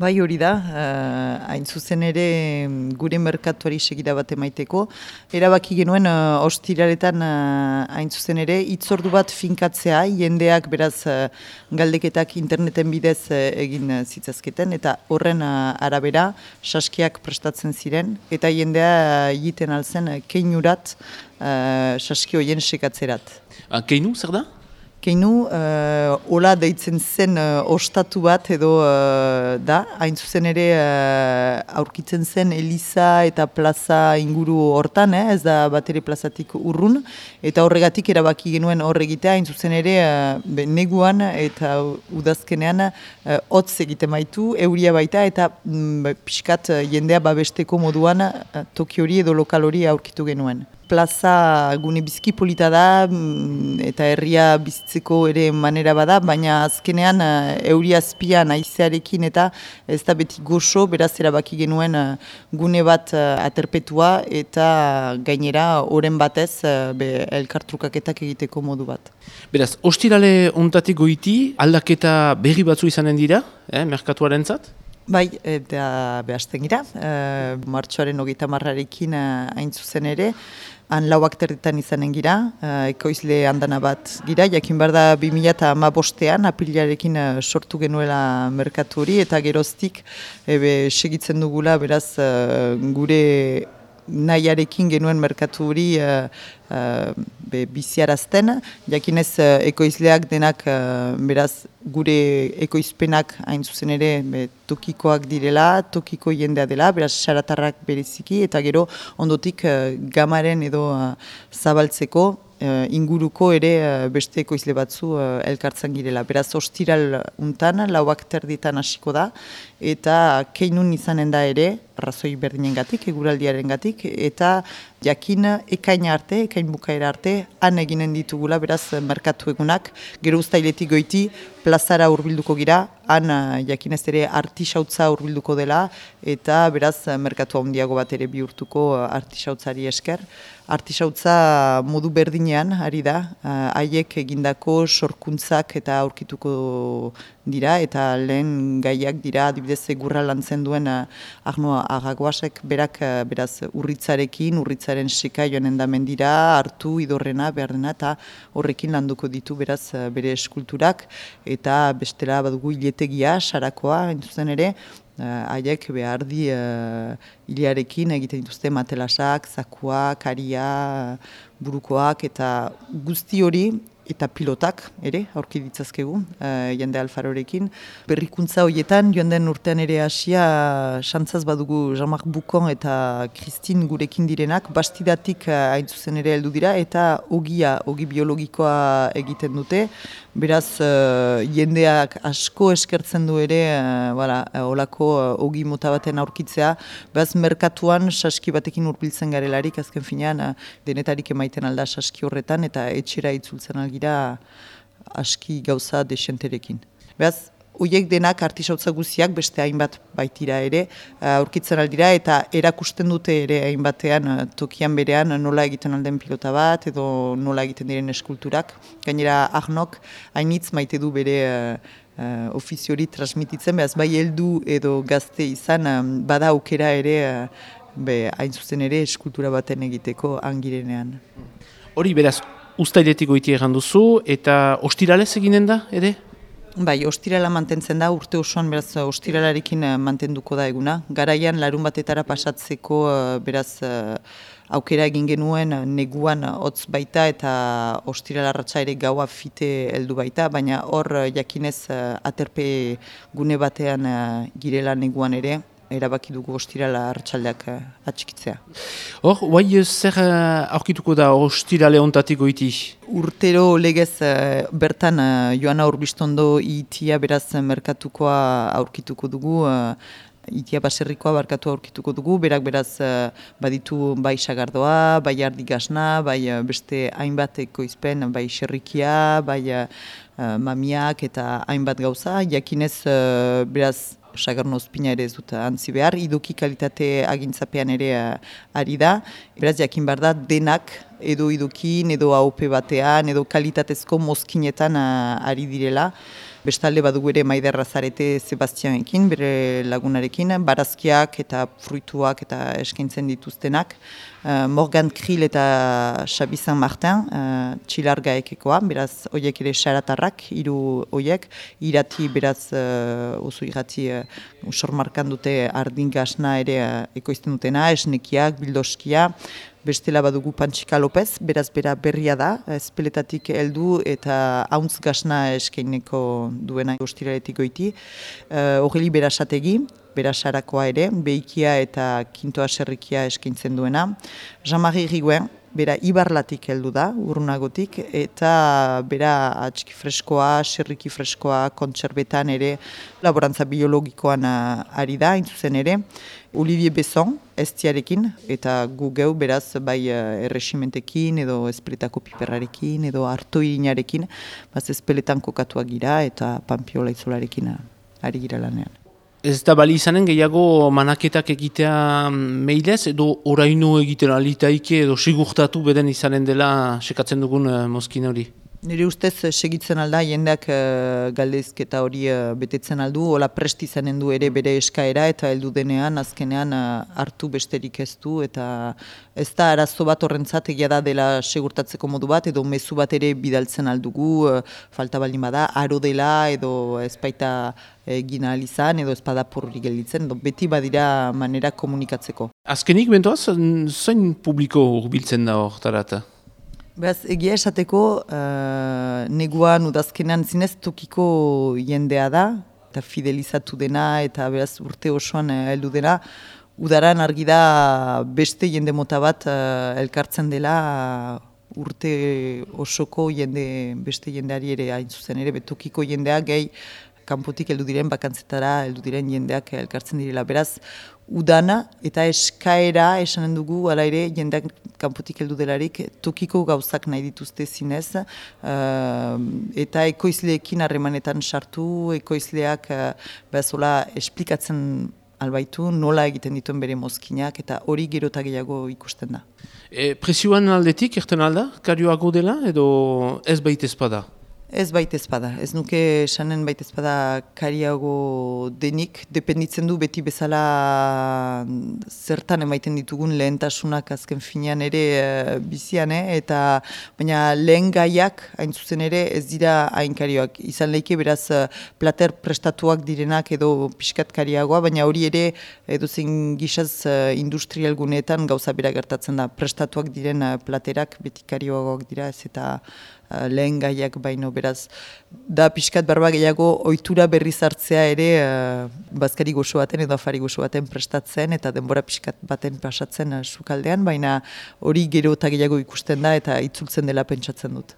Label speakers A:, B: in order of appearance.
A: Bai hori da, hain zuzen ere gure merkatuari segida bat emaiteko. Erabaki genuen ostiraletan hain zuzen ere hitzordu bat finkatzea, jendeak beraz galdeketak interneten bidez egin zitzazketen, eta horren arabera saskiak prestatzen ziren, eta jendea egiten alzen keinurat saski horien sekatzerat.
B: Keinu, zer da?
A: Keinu, hola deitzen zen ostatu bat edo da, hain zuzen ere aurkitzen zen Eliza eta plaza inguru hortan, ez da bat ere plazatik urrun, eta horregatik erabaki genuen horregitea, hain zuzen ere neguan eta udazkenean hotz egiten baitu, euria baita, eta pixkat jendea babesteko moduan toki hori edo lokal hori aurkitu genuen. Plaza gune bizki polita da eta herria bizitzeko ere manera bada, baina azkenean euria azpian haizearekin eta ez da beti goxo, beraz erabaki genuen gune bat aterpetua eta gainera oren batez elkartrukaketak egiteko modu bat.
B: Beraz, ostirale ontatik goiti aldaketa berri batzu izanen dira, merkatuarentzat?
A: Bai, eta behazten gira, martxoaren 30arekin hain zuzen ere, han 4 izanen gira, ekoizle handana bat gira, jakin behar da 2015 apirilarekin sortu genuela merkatu hori, eta geroztik segitzen dugula beraz gure nahiarekin genuen merkatu hori biziarazten, jakinez ekoizleak denak beraz gure ekoizpenak hain zuzen ere tokikoak direla, tokiko jendea dela, beraz xaratarrak bereziki, eta gero ondotik gamaren edo zabaltzeko inguruko ere beste ekoizle batzu elkartzen girela. Beraz, ostiral untan, 4 hasiko da, eta keinun izanen da ere, razoi berdinengatik, eguraldiarengatik, eta jakin ekaina arte, ekain bukaera arte, han eginen ditugula, beraz, merkatu egunak, gero uztailetik goiti, plazara hurbilduko gira, han jakinez ere artisautza hurbilduko dela, eta beraz, merkatu handiago bat ere bihurtuko artisautzari esker. Artisautza modu berdinean, ari da, haiek egindako sorkuntzak eta aurkituko dira, eta lehen gaiak dira, adibidez egurra lantzen duen Arno Agaguasek berak beraz urritzarekin, urritzaren seka joanen da mendira, hartu idorrena, behar dena, eta horrekin landuko ditu beraz bere eskulturak, eta bestela badugu hiletegia, sarakoa, entzuzen ere, haiek behar di hilearekin egiten dituzte matelasak, zakuak, aria, burukoak, eta guzti hori, eta pilotak ere, aurki ditzazkegu, jende Alfarorekin. Berrikuntza horietan, joan den urtean ere hasia, xantzaz badugu Jean-Marc Boucon eta Christine gurekin direnak, bastidatik hain zuzen ere heldu dira, eta ogi biologikoa egiten dute. Beraz, jendeak asko eskertzen du ere, olako ogi mota baten aurkitzea, beraz, merkatuan saski batekin hurbiltzen garelarik, azken finean, denetarik emaiten alda saski horretan, eta etxera itzultzen algira aski gauza desenterekin. Beraz, horiek denak artisautza guziak beste hainbat baitira ere, aurkitzen aldira eta erakusten dute ere hainbatean tokian berean nola egiten alden pilota bat edo nola egiten diren eskulturak. Gainera Arnok hainitz maite du bere ofiziori transmititzen, behaz bai heldu edo gazte izan bada aukera ere hain zuzen ere eskultura baten egiteko angirenean.
B: Hori beraz, uztailetik goiti egan duzu eta ostiralez eginen da ere?
A: Bai, ostirala mantentzen da, urte osoan beraz ostiralarekin mantenduko da eguna. Garaian larun batetara pasatzeko beraz aukera egin genuen neguan hotz baita eta ostiralarratza ere gaua fite heldu baita, baina hor jakinez aterpe gune batean girela neguan ere, erabaki dugu ostirala arratsaldeak atxikitzea.
B: Hor, guai zer aurkituko da ostirale ontatik goiti?
A: Urtero legez bertan Joana Urbistondo itia beraz merkatukoa aurkituko dugu, itia baserrikoa barkatu aurkituko dugu, berak beraz baditu bai sagardoa, bai ardigasna, bai beste hainbat ekoizpen, bai xerrikia, bai mamiak eta hainbat gauza, jakinez beraz sagarno ospina ere ez dut antzi behar, idoki kalitate agintzapean ere ari da, beraz jakin behar da denak edo idokin, edo AOP batean, edo kalitatezko mozkinetan ari direla, Bestalde badugu ere Maider Razarete Sebastianekin, bere lagunarekin, barazkiak eta fruituak eta eskaintzen dituztenak. Morgan Krill eta Xabi San Martin, txilargaekekoa, beraz horiek ere xaratarrak, hiru horiek, irati beraz oso irati sormarkan dute ardin gasna ere ekoizten dutena, esnekiak, bildoskia. Bestela badugu Panchika Lopez, beraz bera berria da, espeletatik heldu eta hauntz gasna eskaineko duena ostiraletik goiti. Horreli berasategi, berasarakoa ere, behikia eta kintoa serrikia eskaintzen duena. Jean-Marie Riguen, bera ibarlatik heldu da, urrunagotik, eta bera atxiki freskoa, serriki freskoa, kontserbetan ere, laborantza biologikoan ari da, intzuzen ere. Olivier Besson, estiarekin, eta gu geu beraz bai erresimentekin edo espeletako piperrarekin edo artoirinarekin, baz espeletan kokatuak gira eta panpiola izolarekin ari gira lanean.
B: Ez da bali izanen gehiago manaketak egitea meilez edo oraino egiten alitaike edo sigurtatu beden izanen dela sekatzen dugun mozkin hori?
A: Nire ustez segitzen alda, jendeak galdezketa hori betetzen aldu, hola prest izanen du ere bere eskaera eta heldu denean, azkenean hartu besterik ez du, eta ez da arazo bat horrentzat egia da dela segurtatzeko modu bat, edo mezu bat ere bidaltzen aldugu, falta baldin bada, aro dela edo ezpaita egin ahal izan, edo ezpada purri gelditzen, beti badira manera komunikatzeko.
B: Azkenik bentoaz, zain publiko hurbiltzen da hortarat?
A: Beraz, egia esateko, neguan udazkenean zinez tokiko jendea da, eta fidelizatu dena, eta beraz urte osoan heldu dena. Udaran argi da beste jende mota bat elkartzen dela urte osoko beste jendeari ere hain zuzen ere, tokiko jendea gehi kanpotik heldu diren bakantzetara, heldu diren jendeak elkartzen direla. Beraz, udana eta eskaera esanen dugu, ala ere, jendeak kanpotik heldu delarik, tokiko gauzak nahi dituzte zinez, eta ekoizleekin harremanetan sartu, ekoizleak behazola esplikatzen albaitu, nola egiten dituen bere mozkinak, eta hori gero eta gehiago ikusten da.
B: Presioan aldetik, erten alda, karioago dela, edo ez baita ezpada?
A: Ez baita ezpada, ez nuke esanen baita ezpada kariago denik, dependitzen du beti bezala zertan emaiten ditugun lehentasunak azken finean ere bizian, eta baina lehen gaiak hain zuzen ere ez dira hain karioak. Izan leike beraz plater prestatuak direnak edo pixkat kariagoa, baina hori ere edozein gizaz industrial guneetan gauza bera gertatzen da. Prestatuak diren platerak beti karioagoak dira ez eta lehen gaiak baino beraz. Da pixkat barba gehiago ohitura berriz hartzea ere bazkari goxo baten edo afari goxo baten prestatzen eta denbora pixkat baten pasatzen sukaldean, baina hori gero eta gehiago ikusten da eta itzultzen dela pentsatzen dut.